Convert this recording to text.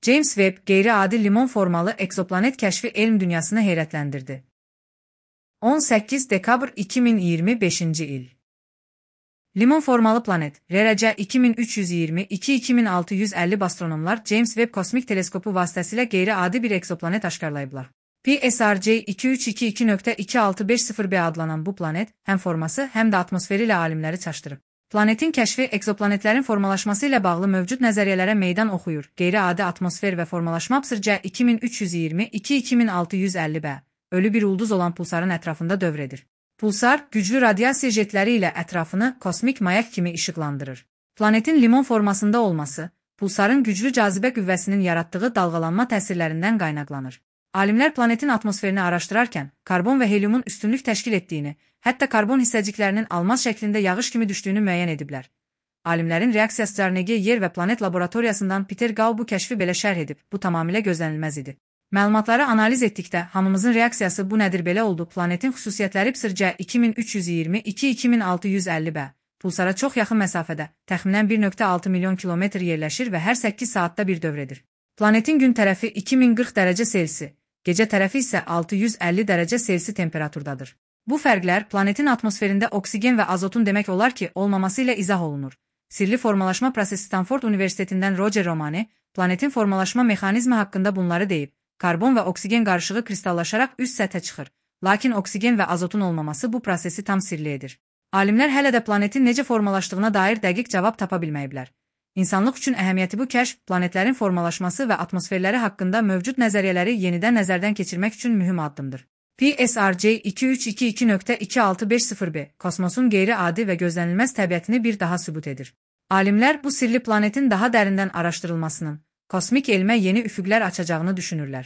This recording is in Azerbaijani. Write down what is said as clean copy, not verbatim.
James Webb, qeyri-adi limon formalı eksoplanet kəşfi elm dünyasını heyrətləndirdi. 18 dekabr 2025-ci il. Limon formalı planet, RRC 2322-2650 astronomlar James Webb kosmik teleskopu vasitəsilə qeyri-adi bir eksoplanet aşkarlayıblar. PSRC 2322.2650b adlanan bu planet, həm forması, həm də atmosferi ilə alimləri çaşdırıb. Planetin kəşfi eksoplanetlərin formalaşması ilə bağlı mövcud nəzəriyyələrə meydan oxuyur. Qeyri-adi atmosfer və formalaşma PSRC 2322-2650b, ölü bir ulduz olan pulsarın ətrafında dövr edir. Pulsar, güclü radiasiya jetləri ilə ətrafını kosmik mayak kimi işıqlandırır. Planetin limon formasında olması, pulsarın güclü cazibə qüvvəsinin yaratdığı dalğalanma təsirlərindən qaynaqlanır. Alimlər planetin atmosferini araşdırarkən, karbon və helyumun üstünlük təşkil etdiyini, hətta karbon hissəciklərinin almaz şəklində yağış kimi düşdüyünü müəyyən ediblər. Alimlərin reaksiyası Carnegie Yer və Planet Laboratoriyasından Peter Gau bu kəşfi belə şərh edib, bu tamamilə gözlənilməz idi. Məlumatları analiz etdikdə, hamımızın reaksiyası bu nədir belə oldu, planetin xüsusiyyətləri PSRC 2322-2650b, pulsara çox yaxın məsafədə, təxminən 1,6 milyon kilometr yerləşir və hər 8 saatda bir dövr edir. Planetin gün tərəfi 2040 dərəcə Selsi, gecə tərəfi isə 650 dərəcə Selsi temperaturdadır. Bu fərqlər planetin atmosferində oksigen və azotun demək olar ki, olmaması ilə izah olunur. Sirli formalaşma prosesi Stanford Universitetindən Roger Romani, planetin formalaşma mexanizmi haqqında bunları deyib. Karbon və oksigen qarışığı kristallaşaraq üst səthə çıxır, lakin oksigen və azotun olmaması bu prosesi tam sirli edir. Alimlər hələ də planetin necə formalaşdığına dair dəqiq cavab tapa bilməyiblər. İnsanlıq üçün əhəmiyyəti bu kəşf, planetlərin formalaşması və atmosferləri haqqında mövcud nəzəriyyələri yenidən nəzərdən keçirmək üçün mühüm addımdır. PSRC 2322.2650b, kosmosun qeyri-adi və gözlənilməz təbiətini bir daha sübut edir. Alimlər bu sirli planetin daha dərindən araşdırılmasının, kosmik elmə yeni üfüqlər açacağını düşünürlər.